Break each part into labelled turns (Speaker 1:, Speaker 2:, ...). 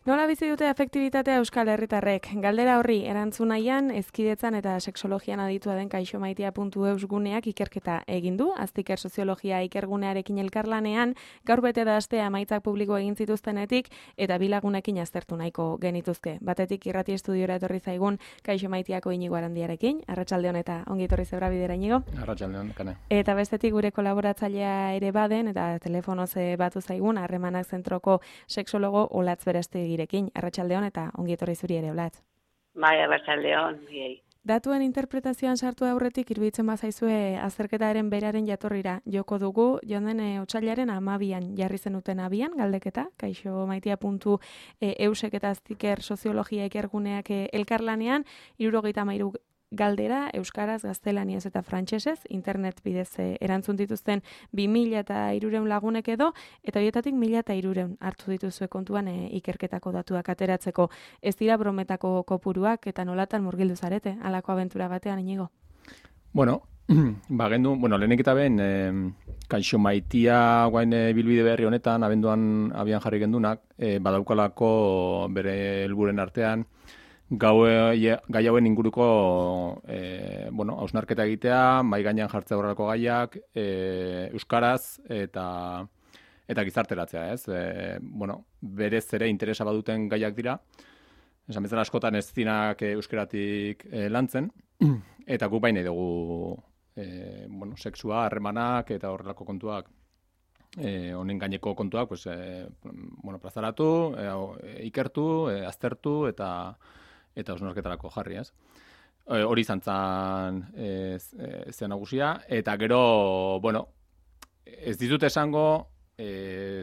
Speaker 1: Nola bizi dute afektibitatea Euskal Herritarrek? Galdera horri erantzun nahian, hezkidetzan eta sexologian aditua den kaixomaitia.eus guneak ikerketa egin du. Aztiker soziologia ikergunearekin elkarlanean, gaur bete da astea emaitzak publiko egin zituztenetik eta bi lagunekin aztertu nahiko genituzke. Batetik irrati estudiora etorri zaigun kaixomaitiako Inigo Arandiarekin. Arratsaldeon eta ongi etorri zebra bidera, Inigo.
Speaker 2: Arratsaldeon, Kane.
Speaker 1: Eta bestetik gure kolaboratzailea ere baden eta telefonoz batu zaigun Harremanak Zentroko sexologo Olatz Berastegirekin. Arratsaldeon eta ongi etorri zuri ere, Olatz.
Speaker 3: Bai, arratsaldeon.
Speaker 1: Datuen interpretazioan sartu aurretik iruditzen bazaizue azterketaren beraren jatorrira joko dugu, joan den otsailaren 12an jarri zenuten abian galdeketa, kaixomaitia.eusek eta Aztiker soziologia ikerguneak elkarlanean 73 galdera euskaraz, gaztelaniaz eta frantsesez internet bidez erantzun dituzten 2300 lagunek edo, eta horietatik 1300 hartu dituzue kontuan ikerketako datuak ateratzeko. Ez dira brometako kopuruak eta nolatan murgildu zarete, halako abentura batean, Inigo?
Speaker 2: Bueno, lehenik eta ben, kaixomaitia guain bilbide berri honetan, abenduan abian jarri gendunak, badaukalako bere helburen artean, gai hauen inguruko hausnarketa egitea, mai gainean jartzea horrelako gaiak, euskaraz eta gizarteratzea, ez? Berez ere interesa baduten gaiak dira, esan bezala askotan ez dinak euskeratik lantzen, eta guk baina dugu sexua, harremanak eta horrelako kontuak, honen gaineko kontuak, plazaratu, ikertu, aztertu eta hausnarketarako jarri, ez? Hori izan zen zen nagusia, eta gero, ez dizut esango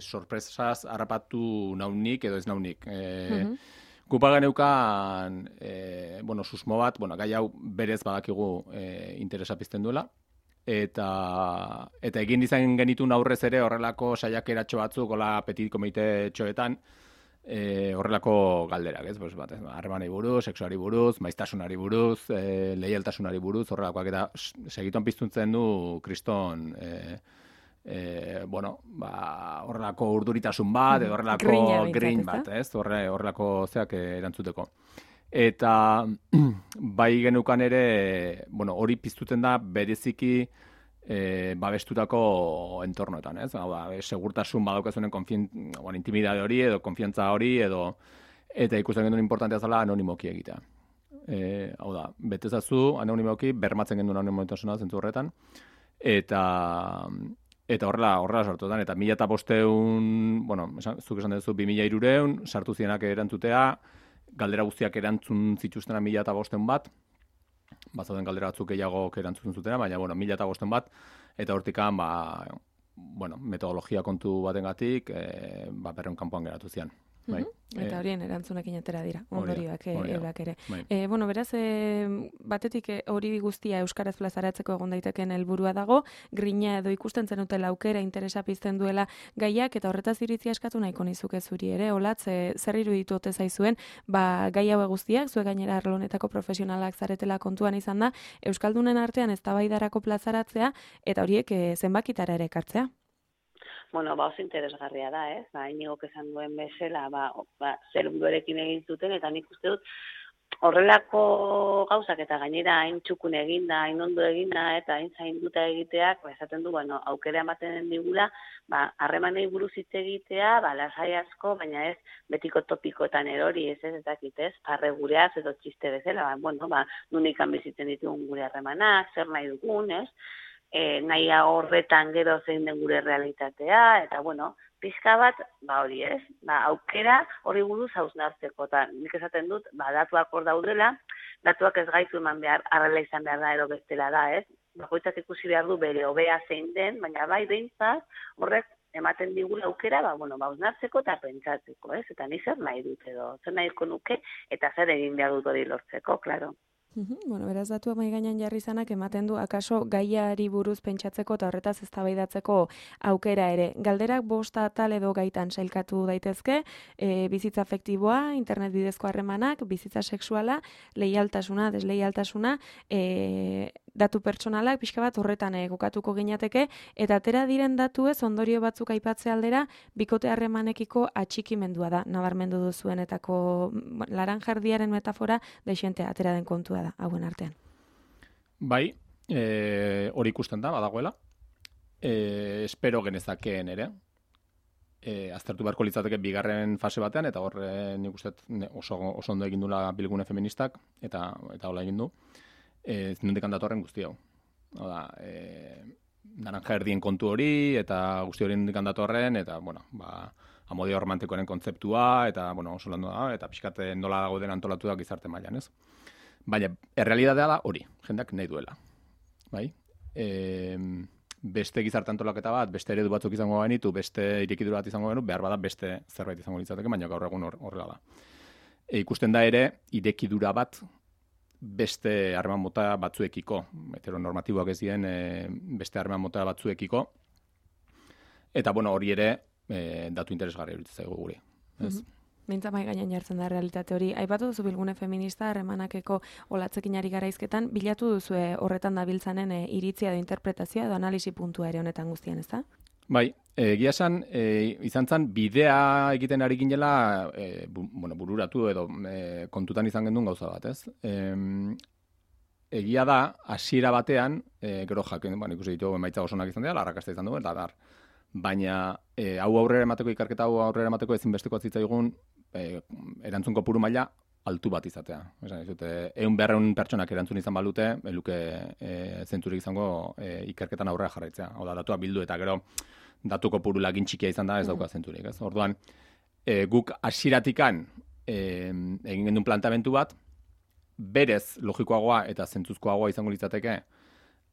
Speaker 2: sorpresaz harrapatu naunik edo ez naunik. Gupa geneukan, susmo bat, gai hau berez badakigu interesa pizten duela, eta egin izan genitun aurrez ere horrelako saiakeratxo batzuk, hola petit komite txoetan, horrelako galderak, ez? Harremanei buruz, sexuari buruz, maiztasunari buruz, leialtasunari buruz, horrelakoak eta segituan piztuntzen du kriston horrelako urduritasun bat, edo horrelako grin bat, ez? Horrelako zeak erantzuteko. Eta bai genukan ere, hori piztutzen da bereziki babestutako entornoetan, ez? Segurtasun badaukazunen intimidade hori edo konfiantza hori eta ikusten genduen importantea zela anonimoki egitea. Betezazu anonimoki bermatzen genduen anonimotasuna zentzu horretan eta horrela sartuetan, eta 1500, zuk esan duzu 2300, sartu zienak erantzutea, galdera guztiak erantzun zituztena 1500 bat, bazauden galdera batzuk gehiago erantzun zutena, baina 1500 bat, eta hortikan, metodologia kontu batengatik, berreun kanpoan geratu zian. Bai.
Speaker 1: Eta horien erantzunekin atera dira, ondorioak eurak ere.
Speaker 2: Bai.
Speaker 1: Beraz, batetik hori guztia euskaraz plazaratzeko egon daiteken helburua dago, grina edo ikusten zenutela aukera interesa pizten duela gaiak, eta horretaz iritzia eskatu nahiko nizuke zuri ere, Olatz, zer iruditu ote zaizuen, gai haue guztiak, zuek gainera arlo honetako profesionalak zaretela kontuan izan da, euskaldunen artean eztabaidarako plazaratzea, eta horiek zenbakitara ere ekartzea.
Speaker 3: Oso interesgarria da, ez? Inigok esan duen bezala, zer munduarekin egin zuten, eta nik uste dut horrelako gauzak eta gainera hain txukun eginda, hain ondo eginda, eta hain zainduta egiteak, esaten du, aukera ematen digula, harremanei buruz hitz egitea, lasai asko, baina ez betiko topikoetan erori, ez dakit, ez? Parre gureaz edo txiste bezala, nunikan bizitzen ditugun gure harremanak, zer nahi dugun, ez? Nahi horretan gero zein den gure realitatea, eta pixka bat, hori ez, aukera hori buruz hausnartzeko, eta nik esaten dut, datuak hor daudela, datuak ez gaitu eman behar, arrela izan behar da, ero bestela da, ez, bakoitzak ikusi behar du bere hobea zein den, baina behintzat, horrek ematen digula aukera, hausnartzeko eta pentsatzeko, ez, eta ni zer nahi dut edo, zer nahiko nuke, eta zer egin behar dut hori lortzeko, klaro.
Speaker 1: Beraz datua mahai gainean jarri izanak ematen du akaso gaiari buruz pentsatzeko eta horretaz eztabaidatzeko aukera ere. Galderak 5 atal edo gaitan sailkatu daitezke, bizitza afektiboa, internet bidezko harremanak, bizitza sexuala, leialtasuna, desleialtasuna, datu pertsonalak pixka bat horretan kokatuko ginateke, eta atera diren datuez ondorio batzuk aipatze aldera, bikote harremanekiko atxikimendua da, nabarmendu duzuenetako laranjardiaren metafora deixente atera den kontua da, hauen artean.
Speaker 2: Bai, hori ikusten da, badagoela. Espero genezakeen ere. Aztertu beharko litzateke bigarren fase batean, eta hor nik uste oso ondo egin dula bilgune feministak, eta hola egin du. Nondik datorren guzti hau. Oda, naranja erdien kontu hori, eta guzti hori nondik datorren, eta, bueno, amodio romantikoaren kontzeptua, eta, bueno, oso landu da, eta pixkate nola dago den antolatuak gizarte mailan, ez? Baina, errealitatea da hori, jendeak nahi duela. Bai? Beste gizarte antolaketa bat, beste eredu batzuk izango benitu, beste irekidura bat izango benu, behar bada beste zerbait izango litzateke, baina gaur egun horrela da. Ikusten da ere, irekidura bat beste harreman mota batzuekiko, heteronormatiboak ez dien beste harreman mota batzuekiko, eta bueno, hori ere datu interesgarri iruditzen zaigu guri. Ez?
Speaker 1: Mintza mai gainean jartzen da realitate hori. Aipatu duzu bilgune feminista harremanakeko olatzekin ari garaizketan, bilatu duzu horretan dabiltzanen iritzia edo interpretazioa edo analisi puntua ere honetan guztian, ez da?
Speaker 2: Bai, egia esan, izan zen bidea egiten ari ginela bururatu edo kontutan izan gendun gauza bat, ez? Egia da, hasiera batean, gero jakin, ikusi ditu emaitza oso onak izan dira, arrakasta izan du, eta dar. Baina hau aurrera emateko, ikerketa hau aurrera emateko ezinbesteko zitzaigun erantzun kopuru maila altu bat izatea. Esan dizute, 100-200 pertsonak erantzun izan balute, eluke zentzurik izango ikerketan aurrera jarraitzea. Hau da, datuak bildu eta gero datu kopuru lagin txikia izan da, ez dauka zentzurik. Ez? Orduan, guk hasieratik egin gendun plantamentu bat, berez logikoagoa eta zentzuzkoagoa izango litzateke,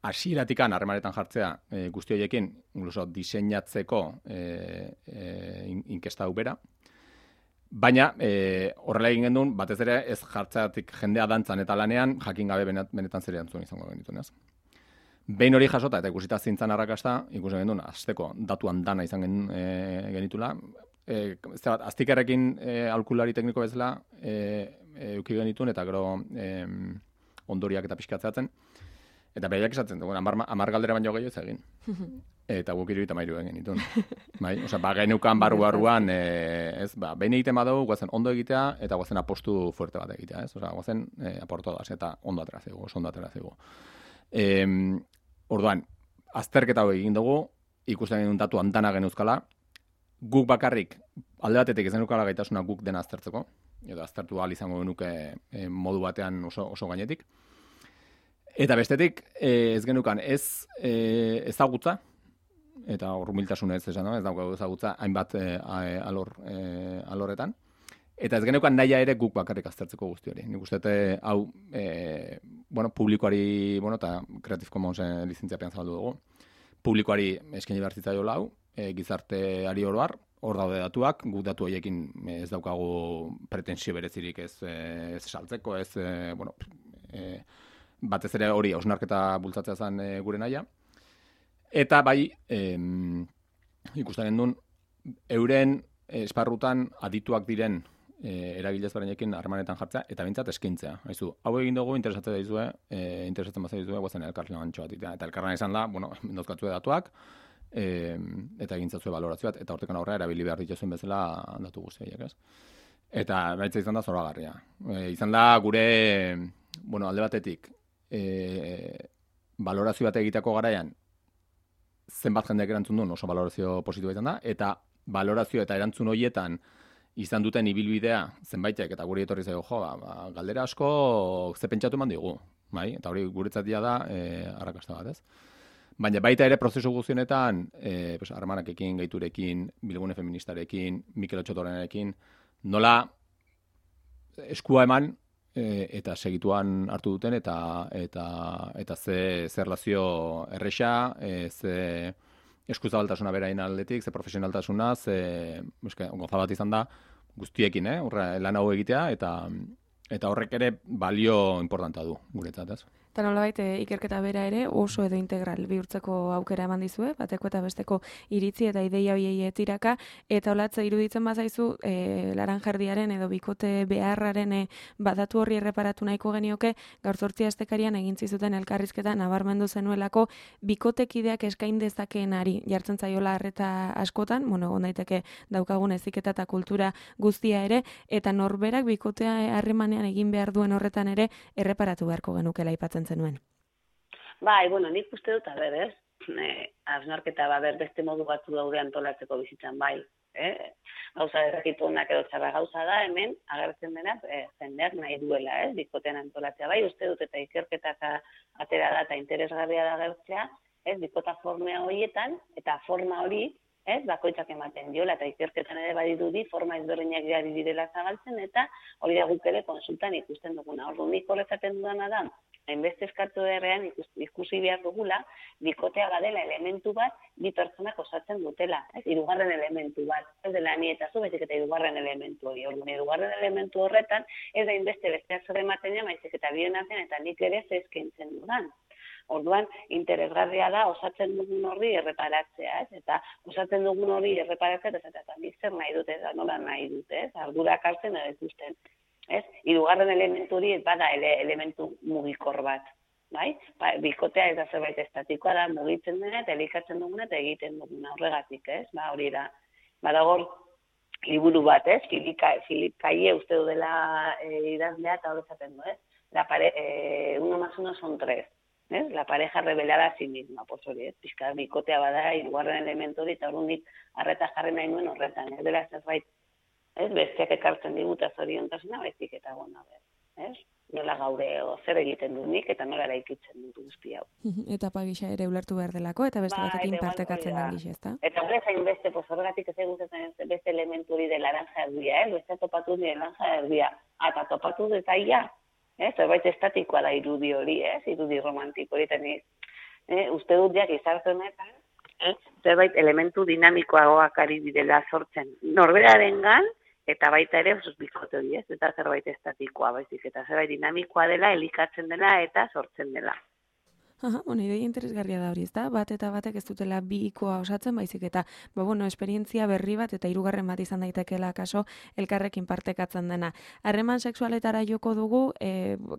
Speaker 2: hasieratik harremanetan jartzea guzti horiekin, incluso diseinatzeko inkesta hau bera. Baina, horrela egin gendun, batez ere ez jartzeatik jendea dantzan eta lanean, jakin gabe benetan zer erantzun izango genituen, ez? Behin hori jasota eta ikusita zintzan arrakasta, ikusi gendun, azteko datuan dana izan genitula. Aztikerrekin aholkulari tekniko bezala euki genituen, eta gero ondoriak eta pixkatzeatzen. Eta behiak esatzen, 10 galdera baino gehiago ez egin. Eta guk 73 egin genituen. Bai? Osea, geneukan barruan, behin egiten badugu, guazen ondo egitea, eta guazen apostu fuerte bat egitea, ez? Osea, guazen aportodas, eta ondo atera zaigu. Orduan, azterketa hau egin dugu, ikusten genuen datu handana genuzkala, guk bakarrik, alde batetik ez genukala gaitasuna guk dena aztertzeko, edo aztertu ahal izango genuke modu batean oso gainetik. Eta bestetik, ez genukan ez ezagutza, eta humiltasuna ez esan, ez daukagu ezagutza hainbat alorretan, eta ez genukan nahia ere guk bakarrik aztertzeko guzti hori. Nik uste hau publikoari, eta Creative Commonsen lizentziapean zabaldu dugu, publikoari eskaini behar zitzaiola hau, gizarteari oroar, hor daude datuak, guk datu horiekin ez daukagu pretensio berezirik ez saltzeko, batez ere hori hausnarketa bultzatzea zen gure nahia. Eta bai, ikusten gendun, euren esparrutan adituak diren eragile ezberdinekin harremanetan jartzea, eta behintzat eskaintzea. Haizu, hau egin dugu, interesatzen bazai dizue, guazen elkarlan antxo bat. Eta elkarlan izan da, mendozkatzue datuak, eta egintzatzue valorazio bat, eta hortekan aurrera erabili behar dituzuen bezala datu guztiak, ez? Eta baitza izan da zoragarria. Izan da gure, alde batetik, valorazio bat egiteko garaian zenbat jendeak erantzun duen oso valorazio positiboa izan da, eta valorazio eta erantzun horietan izan duten ibilbidea zenbaitek, eta guri etorri zaio, galdera asko ze pentsatu eman digu, bai? Eta hori guretzatia da arrakasta bat, ez? Baina baita ere prozesu guztionetan, harremanekin, gaiturekin, bilgune feministarekin, Mikel Otxotorenarekin, nola eskua eman, eta segituan hartu duten, eta ze erlazio erresa, ze eskuzabaltasuna berain aldetik, ze profesionaltasuna, ze goza bat izan da guztiekin, lan hau egitea, eta horrek ere balio importanta du guretzat, ez?
Speaker 1: Eta nolabait ikerketa bera ere oso edo integral bihurtzeko aukera eman dizue, bateko eta besteko iritzi eta ideia hoiei tiraka, eta olatze iruditzen bazaizu laranjerdiaren edo bikote beharraren badatu horri erreparatu nahiko genioke, gaur 8 astekarian egin zizuten elkarrizketa nabarmendu zenuelako bikotekideak eskain dezakeenari jartzen zaiola arreta askotan, egon daiteke daukagun heziketa eta kultura guztia ere, eta norberak bikotea harremanean egin behar duen horretan ere erreparatu beharko genukela aipatzen zenuen.
Speaker 3: Bai, nik uste dut, ez? Hausnarketa, beste modu batzu daude antolatzeko bizitzan, bai. Gauza errakitu honak edo txarra gauza da, hemen, agertzen dena, jendeak nahi duela, bikotean antolatzea. Bai, uste dut, eta ikerketak atera da, eta interesgarria da agertzea, bikota formea horietan, eta forma hori, bakoitzak ematen diola, eta ikerketan ere badirudi, forma ezberdinak gari direla zabaltzen, eta hori da guk ere konsultan ikusten duguna. Orduan, nik horretaten dudana da, hainbeste eskatu errean ikusi behar dugula, bikotea badela elementu bat, bi pertsonak osatzen dutela, hirugarren elementu bat, ez dela ni eta zu, baizik eta hirugarren elementu hori. Orduan, hirugarren elementu horretan, ez da hainbeste besteak zer ematen ja, baizik eta bien artean, eta nik ere zezkentzen dudan. Orduan, interesgarria da osatzen dugun horri erreparatzea, eta osatzen dugun horri erreparatzea, eta nik zer nahi dute, eta nola nahi dute, ardurak hartzen edo ikusten. Hirugarren elementu hori bada elementu mugikor bat, bai? Bikotea ez da zerbait estatikoa da, mugitzen dena, eta elikatzen duguna, eta egiten duguna horregatik, hori da. Badagor, liburu bat, Filip Kaie uste du dela idazlea, eta horretzaten du, uno más uno son 3. La pareja revelada a sí misma, hori, pixka bikotea bada, hirugarren elementu hori, eta horrendik arreta jarri nahi nuen horretan, ez dela zerbait, besteak ekartzen diguta zoriontasuna, baizik eta nola gaure zer egiten dut nik, eta nola eraikitzen dut guzti hau.
Speaker 1: Eta pagisa ere ulertu behar delako, eta beste batekin partekatzen den giz, ezta?
Speaker 3: Eta horrez hain beste, horregatik ez egutzen beste elementu hori de laranja erdia, beste topatu de laranja erdia, eta topatu de taia, zerbait estatikoa da irudi hori, irudi romantiko hori, eta uste dut jak izartu honetan, zerbait elementu dinamikoagoak ari direla sortzen norberarengan, eta baita ere oso bikote hori, eta zerbait estatikoa baizik, eta zerbait dinamikoa dela, elikatzen dela eta sortzen dela.
Speaker 1: Ideia interesgarria da hori, ezta? Bat eta batek ez dutela bi ikoa osatzen, baizik eta, esperientzia berri bat eta hirugarren bat izan daitekeela kaso elkarrekin partekatzen dena. Harreman sexualetara joko dugu,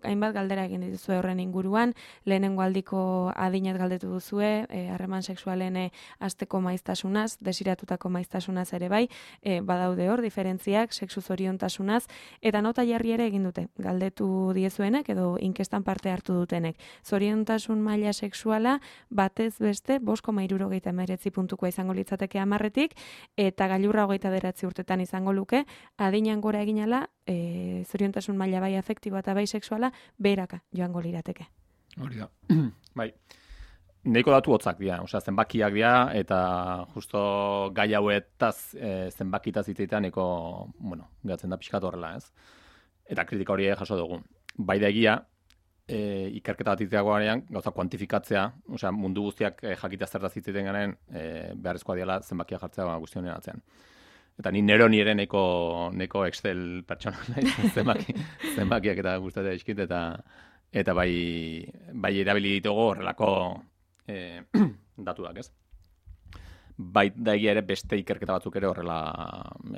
Speaker 1: hainbat galdera egin dituzue horren inguruan, lehenengo aldiko adinet galdetu duzue, harreman sexualen hasteko maiztasunaz, desiratutako maiztasunaz ere bai, badaude hor, diferentziak, sexu zoriontasunaz, eta nota jarri ere egin dute, galdetu diezuenek edo inkestan parte hartu dutenek. Zoriontasun maila sexuala batez beste 5,69 puntukoa izango litzateke 10etik, eta gailurra 29 urtetan izango luke, adinean gora eginala, zoriontasun maila bai afektiboa eta bai sexuala beheraka joango lirateke.
Speaker 2: Hori da. Bai. Neiko datu hotzak dira, zenbakiak dira, eta justo gai hauetaz zenbakitaz hitzetan neko, gatzen da pixkat horrela, ez? Eta kritika hori jaso dugu. Bai da egia, ikerketa bat itzeagoarean, gauza kuantifikatzea, mundu guztiak jakitea zertaz hitziten garen, beharrezkoa diala zenbakia jartzea guztionen atzean. Eta ni ere neko Excel pertsona zenbakiak eta gustatzea eskit, eta bai erabili ditugu horrelako datuak, ez? Bai da egia ere beste ikerketa batzuk ere horrela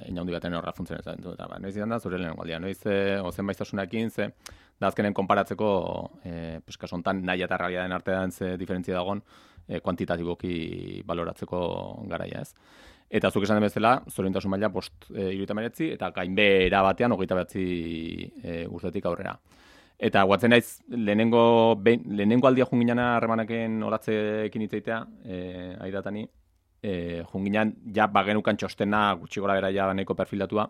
Speaker 2: inaundi baten horrela funtzionetan du. Noiz izan da, zure lehen galdia, noiz ozen baiztasunakin, da azkenen konparatzeko, kasu honetan nahi eta realitatearen artean ze diferentzia dagoen, kuantitatiboki baloratzeko garaia, ez? Eta zuk esan den bezala, zoriontasun maila 5,79 eta gainbehera batean 29 urtetik aurrera. Eta guatzen naiz, lehenengo aldia junginana harremanekin olatzekin hitzeitea, aidatani, junginan ja bagenukan txostena gutxi gora bera ja nahiko perfilatua,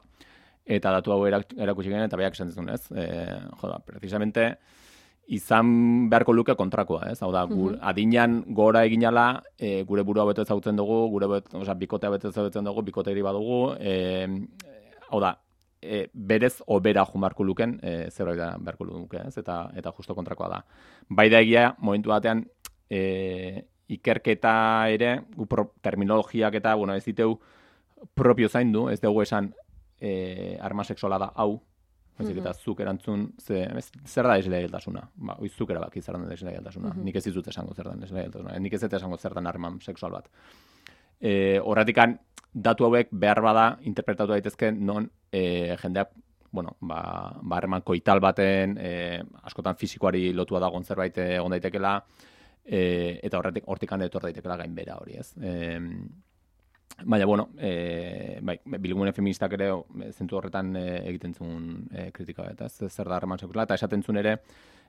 Speaker 2: eta datu hau erakutsi genuen, eta beak esan zizun, ez? Precisamente, izan beharko luke kontrakoa, ez? Hau da, adinean gora eginala, gure burua beto ezagutzen dugu, bikotea beto ezagutzen dugu, bikoteiri badugu, hau da, berez obera jumarko luken, zerbait da beharko luke, ez? Eta justo kontrakoa da. Bai da egia, momentu batean, ikerketa ere, terminologiak eta, ez diteu propio zaindu, ez dugu esan harreman sexuala da hau, baizik eta zuk erantzun, zer da desleialtasuna? Ba, zuk erabaki zer da desleialtasuna. Nik ez dizut esango zer da desleialtasuna. Nik ez dut esango zer da harreman sexual bat. Horratikan, datu hauek behar bada interpretatu daitezke non jendeak harreman koital baten, askotan fisikoari lotua dagoen zerbait egon daitekela, eta hortikan etor daitekela gainbera hori, ez? Baina, bilgune feministak ere zentu horretan egiten zuen kritika, eta zer da harreman sexuala, eta esaten zuen ere,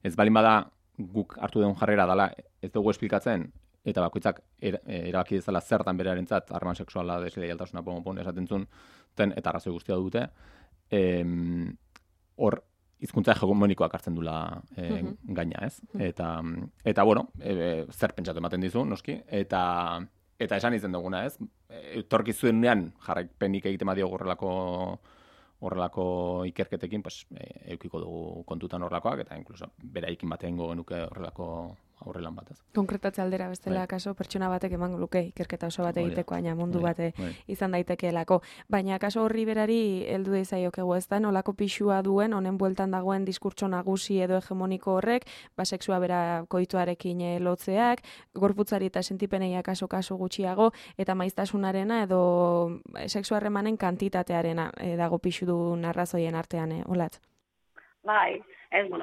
Speaker 2: ez balin bada guk hartu den jarrera dela, ez dugu esplikatzen, eta bakoitzak erabaki dezala zertan berearentzat harreman sexuala desleialtasuna esaten zuen, eta arrazoi guztia dute, hor hizkuntza hegemonikoak hartzen dula gaina, ez? Eta zer pentsatu ematen dizu, noski, eta esan izan duguna, ez? Etorkizunean jarraipenik egiten badio horrelako ikerketekin, eukiko dugu kontutan horrelakoak, eta inkluso beraikin batean genuke horrelako aurrelan bat, ez?
Speaker 1: Konkretatze aldera bestela, kaso, pertsona batek emango luke ikerketa oso bat egiteko, baina mundu bate izan daitekeelako. Baina kaso horri berari heldu deizaiokegu, ez da, nolako pixua duen, honen bueltan dagoen diskurtso nagusi edo hegemoniko horrek, sexua bera koituarekin lotzeak, gorputzari eta sentipeneia kaso gutxiago, eta maiztasunarena edo sexu harremanen kantitatearena dago pixu duen arrazoien artean, olatz?
Speaker 3: Bai,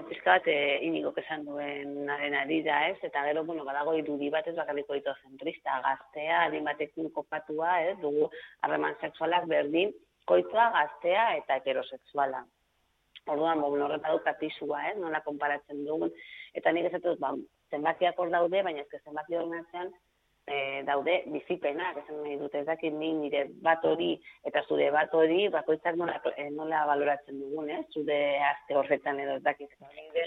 Speaker 3: pizka bat inigok esan duen ari da, ez? Eta gero, badago irudi bat ez bakarriko zentrista, gaztea, adin batekin kopatua, ez? Dugu harreman sexualak berdin, koitua, gaztea eta heterosexuala. Orduan, horreta dut kapisua, ez? Nola konparatzen dugun. Eta nik ez dut, zenbakiak hor daude, baina ez zenbaki hor natzean, daude bizipenak, esan nahi dut, ez dakit nire bat hori eta zure bat hori bakoitzak nola baloratzen dugun, zure azte horretan edo ez dakit,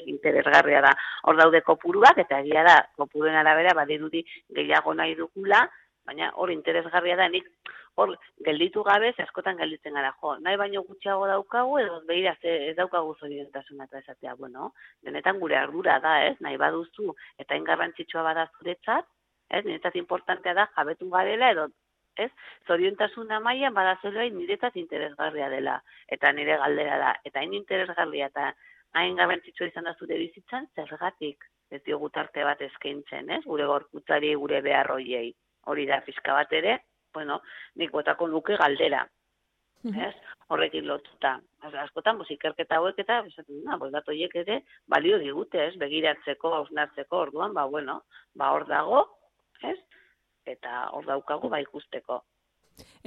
Speaker 3: interesgarria da. Hor daude kopuruak, eta egia da, kopuruen arabera badirudi gehiago nahi dugula, baina hor interesgarria da, nik hor gelditu gabe, askotan gelditzen gara, nahi baino gutxiago daukagu, edo behira ez daukagu zoriontasuna eta esatea, denetan gure ardura da, nahi baduzu, eta ingarrantzitsua bada zuretzat, niretzat importantea da jabetu garela edo, zoriontasuna mailan badazeloa niretzat interesgarria dela, eta nire galdera da, eta hain interesgarria eta hain garrantzitsua izan da zure bizitzan, zergatik ez diogu tarte bat eskaintzen, gure gorputzari, gure behar hoiei, hori da pixka bat ere, nik botako nuke galdera, horrekin lotuta. Askotan, ikerketa hauek eta, datu horiek ere, balio digute, begiratzeko, hausnartzeko, orduan, hor dago, eta hor daukagu ikusteko.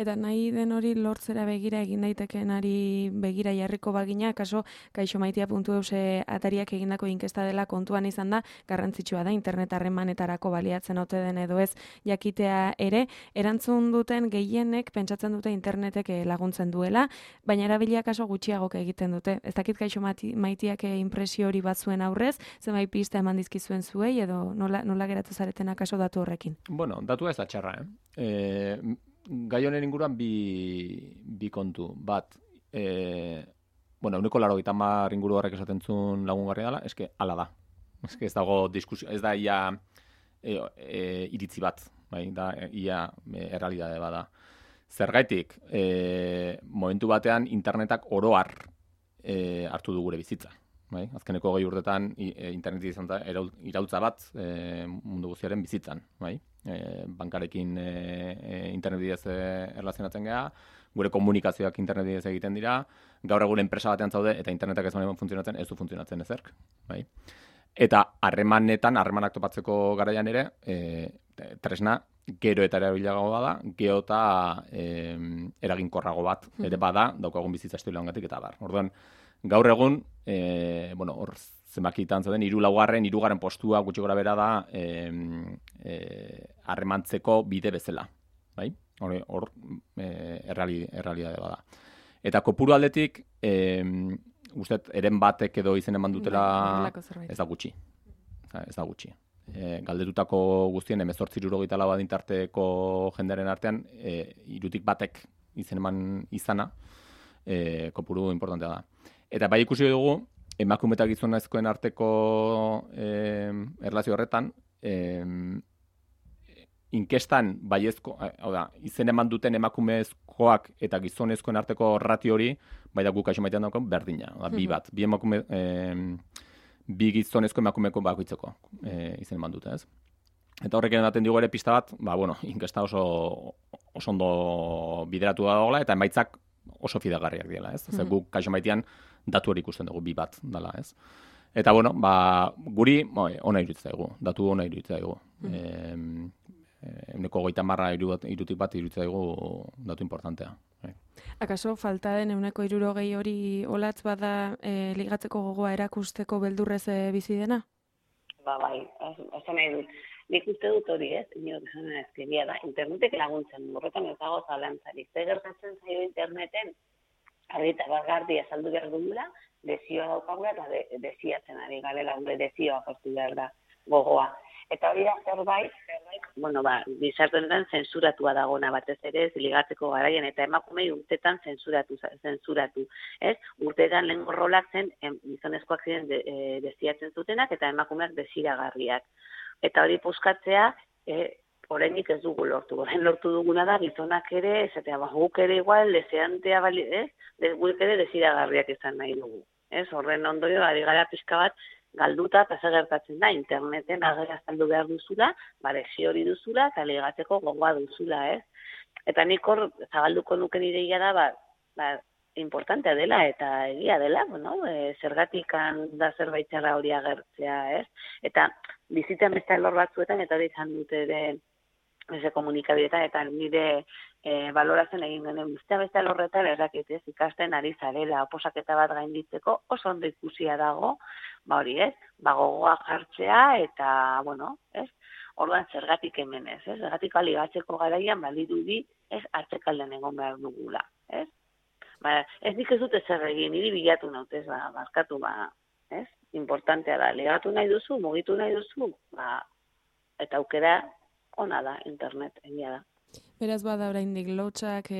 Speaker 1: Eta nahi den hori lortzera begira egin daitekenari begira jarriko bagina, kaso kaixomaitia.eus atariak egindako inkesta dela kontuan izan da, garrantzitsua da, internet harremanetarako baliatzen ote den edo ez jakitea ere, erantzun duten gehienek pentsatzen dute internetek laguntzen duela, baina erabilia kaso gutxiagok egiten dute. Ez dakit kaixomaitiak impresio hori bat zuen aurrez, zenbait pista eman dizkizuen zuei edo nola geratu zaretena kaso datu horrekin?
Speaker 2: Datua ez da txarra, Gai honen inguruan bi kontu. Bat, euneko 80 inguru horrek esaten zuen lagungarri dela, eske hala da. Eske ez dago diskusio, ez da ia iritzi bat, da ia errealitate bada. Zergaitik, momentu batean internetak oro har hartu du gure bizitza. Azkeneko 20 urtetan internet izan da iraultza bat mundu guztiaren bizitzan, bankarekin internet bidez erlazionatzen gara, gure komunikazioak internet bidez egiten dira, gaur egun enpresa batean zaude eta internetak ez funtzionatzen, ez du funtzionatzen ezerk. Eta harremanak topatzeko garaian ere, tresna gero eta erabilago bada, gero eta eraginkorrago bat ere bada, daukagun bizitza estiloa ongatik eta bar. Orduan, gaur egun, hor zenbakitan zauden, 3. postua gutxi gora bera da harremantzeko bide bezala. Hor errealitate bada. Eta kopuru aldetik, guztet, eren batek edo izen eman dutela ez da gutxi. Galdetutako guztien 18-64 adintarteko jendearen artean, 3 batek izen eman izana, kopuru importantea da. Eta bai ikusi dugu, emakume eta gizonezkoen arteko erlazio horretan, inkestan baiezko, hau da, izen eman duten emakumezkoak eta gizonezkoen arteko ratio hori, bai da guk kaixo maitean daukagun berdina, bi bat, bi gizonezko emakumeko bakoitzeko izen eman dute, ez? Eta horrek ematen digu ere pista bat, inkesta oso ondo bideratu da dagoela, eta emaitzak oso fidagarriak dira, ez? Zer guk kaixo maitean datu hori ikusten dugu, bi bat dela, ez? Eta, guri ona iruditzen daigu, datu ona iruditzen daigu. Euneko 30 irutik bat iruditzen daigu datu importantea.
Speaker 1: Akaso falta den euneko 60 hori olatz bada ligatzeko gogoa erakusteko beldurrez bizi dena?
Speaker 3: Bai, esan nahi dut. Nik uste dut hori, ez? Inok esan ezkeria da. Internetek laguntzen du, horretan ez dago zalantzarik. Zer gertatzen zaio interneten, argi eta garbi azaldu behar dugula, desioa daukagula eta desiatzen ari garela, desioa aportu behar da gogoa. Eta hori da zerbait, gizarte honetan zensuratua dagona batez ere, ligatzeko garaian, eta emakumei urtetan zensuratu, ez? Urtetan lehen rolak zen, gizonezkoak ziren desiatzen zutenak, eta emakumeak desiragarriak. Eta hori puskatzea, oraindik ez dugu lortu. Orain lortu duguna da, gizonak ere, esatea, guk ere igual, deseantea, guk ere desiragarriak izan nahi dugu. Horren ondorio, ari gara pixka bat, galduta, eta zer gertatzen da, interneten agera azaldu behar duzula, desio hori duzula, eta ligatzeko gogoa duzula, ez? Eta nik hor, zabalduko nuken ideia da, importantea dela, eta egia dela, zergatikan da zerbait txarra hori agertzea, ez? Eta bizitzen beste alor batzuetan, eta hori izan dute ere, komunikabideetan, eta nire baloratzen egin genen beste alorretan erraketez ikasten ari zarela, oposaketa bat gainditzeko oso ondo ikusia dago, hori ez, gogoa jartzea eta, ez, orduan zergatik hemen ez, zergatik aligatzeko garaian badirudi ez atzekalden egon behar dugula, ez? Ez nik ez dute zer egin, niri bilatu nautez, barkatu, ez? Importantea da, ligatu nahi duzu, mugitu nahi duzu, eta aukera ona da, internet, egia da.
Speaker 1: Beraz bada oraindik lotxak,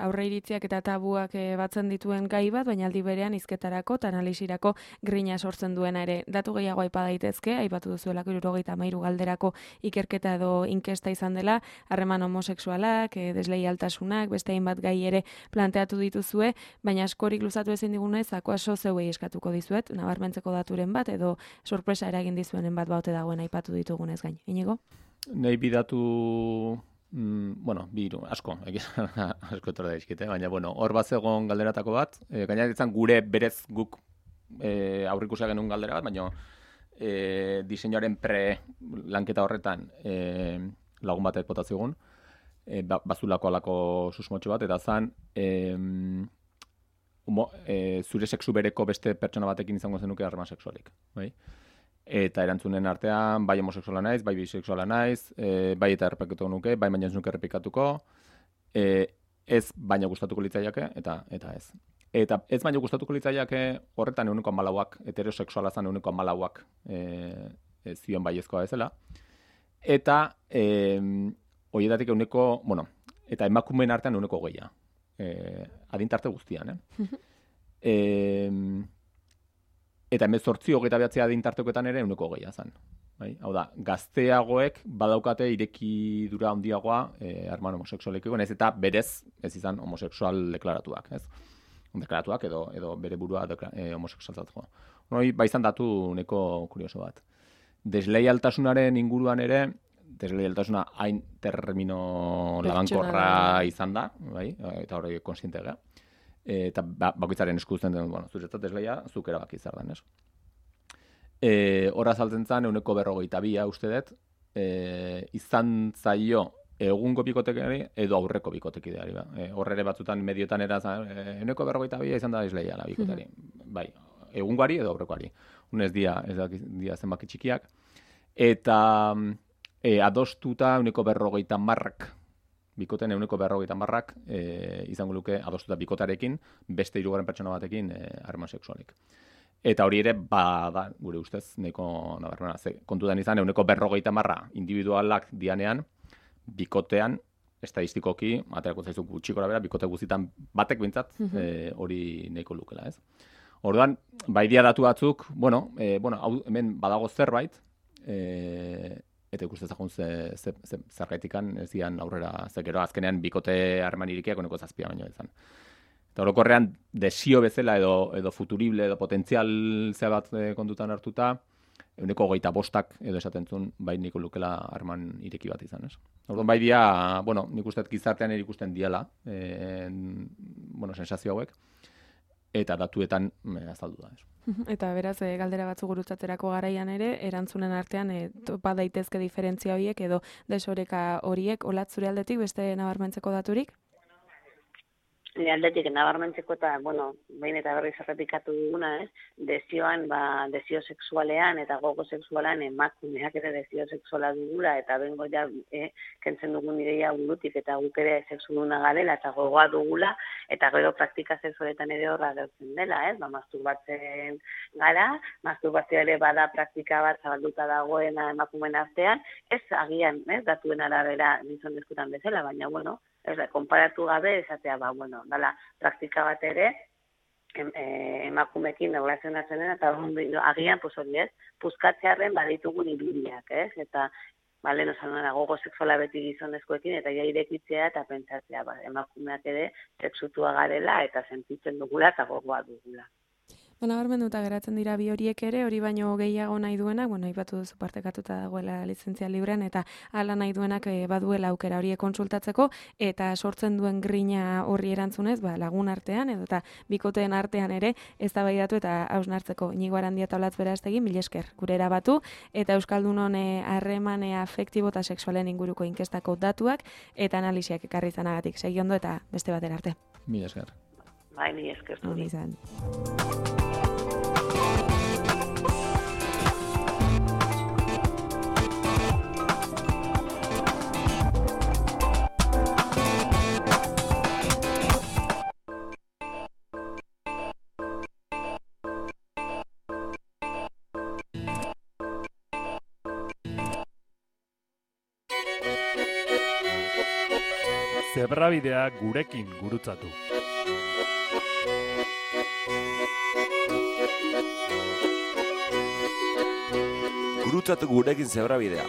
Speaker 1: aurreiritziak eta tabuak batzen dituen gai bat, baina aldi berean hizketarako eta analisirako grina sortzen duena ere. Datu gehiago aipa daitezke, aipatu duzuelako 73 galderako ikerketa edo inkesta izan dela, harreman homosexualak, desleialtasunak, beste hainbat gai ere planteatu dituzue, baina askorik luzatu ezin digunez, akoaso zeuei eskatuko dizuet, nabarmentzeko daturen bat edo sorpresa eragin dizuenen bat baute dagoen aipatu ditugunez gain. Inigo?
Speaker 2: Nahi bidatu biru, asko etorra daizkite, baina, hor bat zegoen galderatako bat, gaina ditzen gure berez guk aurrikusia genuen galdera bat, baina diseinuaren lanketa horretan lagun batek botaziogun, bazulako alako susmotxo bat, eta zan, zure sexu bereko beste pertsona batekin izango zenuke harreman sexualik, bai? Eta erantzunen artean, bai homosexuala naiz, bai bisexuala naiz, bai eta errepikatuko nuke, bai baina ez nuke errepikatuko, ez baina gustatuko litzaiake, eta ez. Eta ez baina gustatuko litzaiake horretan 14%, heterosexuala zan 14%, zion baiezkoa bezala. Eta horietatik eta emakumeen artean 20%. Adintarte guztian, Eta 18-29 adintartekoetan ere 20% zan. Hau da, gazteagoek badaukate irekidura handiagoa harreman homosexualekiko, ez eta berez ez izan homosexual deklaratuak, ez? Deklaratuak edo bere burua homosexualzatzeko. Hori, izan datu neko kurioso bat. Desleialtasunaren inguruan ere, desleialtasuna hain termino labankorra izan da, eta hori konsiente gara. Eta bakoitzaren esku uzten den, zuretzat desleia, zuk erabaki zer den, ez? Horra azaltzen zen, 42% uste dut, izan zaio egungo bikotekari edo aurreko bikotekideari. Horre ere batzutan mediotan era 42% izan da desleia la bikotari. Bai, egungoari edo aurrekoari. Unez dia zenbaki txikiak. Eta adostuta 40%, bikoten 40%, izango luke adostuta bikotarekin, beste 3 pertsona batekin harreman sexualik. Eta hori ere, da, gure ustez, nahiko nabarmena. Kontutan izan, 40% individualak dianean, bikotean, estadistikoki, aterako zaizu gutxikora bera, bikote guztietan batek bintzat, hori nahiko lukela, ez? Orduan, baidia datu batzuk, hemen badago zerbait, eta ikusten zagun zergaitikan ez dian aurrera, zekero azkenean bikote harreman irikiak oneko 7 baino izan. Eta orokorrean desio bezala edo futurible edo potentzial zea bat kontutan hartuta, 25% edo esaten zuen bai niko lukela harreman ireki bat izan, ez? Orduan bai dia, bueno, nik uste gizartean ikusten diala, sensazio hauek, eta datuetan azaldu da, ez?
Speaker 1: Eta beraz, galdera batzu gurutzatzerako garaian ere, erantzunen artean topa daitezke diferentzia horiek edo desoreka horiek, Olatz zure aldetik beste nabarmentzeko daturik?
Speaker 3: Nire aldetik nabarmentzeko eta, behin eta berriz errepikatu duguna, desioan, desio sexualean eta gogo sexualean emakumeak ere desio sexuala dugula eta bengo ja kentzen dugun ideia burutik eta guk ere sexuduna garela eta gogoa dugula eta gero praktika sexualetan ere horra gertzen dela, masturbatzen gara, masturbazioa ere bada praktika bat zabalduta dagoena emakumeen artean, ez agian, datuen arabera gizonezkoetan bezala, baina, konparatu gabe, esatea, dala, praktika bat ere, emakumekin erlazionatzen dena, eta agian, puskatzearen baditugun irudiak, eta, gogo sexuala beti gizonezkoekin, eta ja irekitzea eta pentsatzea, emakumeak ere, sexutua garela, eta sentitzen dugula, eta gogoa dugula.
Speaker 1: Nabarmenduta geratzen dira bi horiek ere, hori baino gehiago nahi duenak, aipatu duzu partekatuta dagoela lizentzia librean, eta hala nahi duenak baduela aukera horiek kontsultatzeko, eta sortzen duen grina horri erantzunez, lagun artean, edo eta bikoteen artean ere, eztabaidatu eta hausnartzeko. Inigo Arandia eta Olatz Berastegi, mila esker, gure erabatu, eta Euskaldunon harreman afektibo eta sexualen inguruko inkestako datuak, eta analiziak ekarri izanagatik. Segi ondo eta beste batera arte.
Speaker 2: Mila esker.
Speaker 3: Bai, mila esker.
Speaker 4: Zebrabidea gurekin gurutzatu.
Speaker 5: Gurutzatu gurekin Zebrabidea.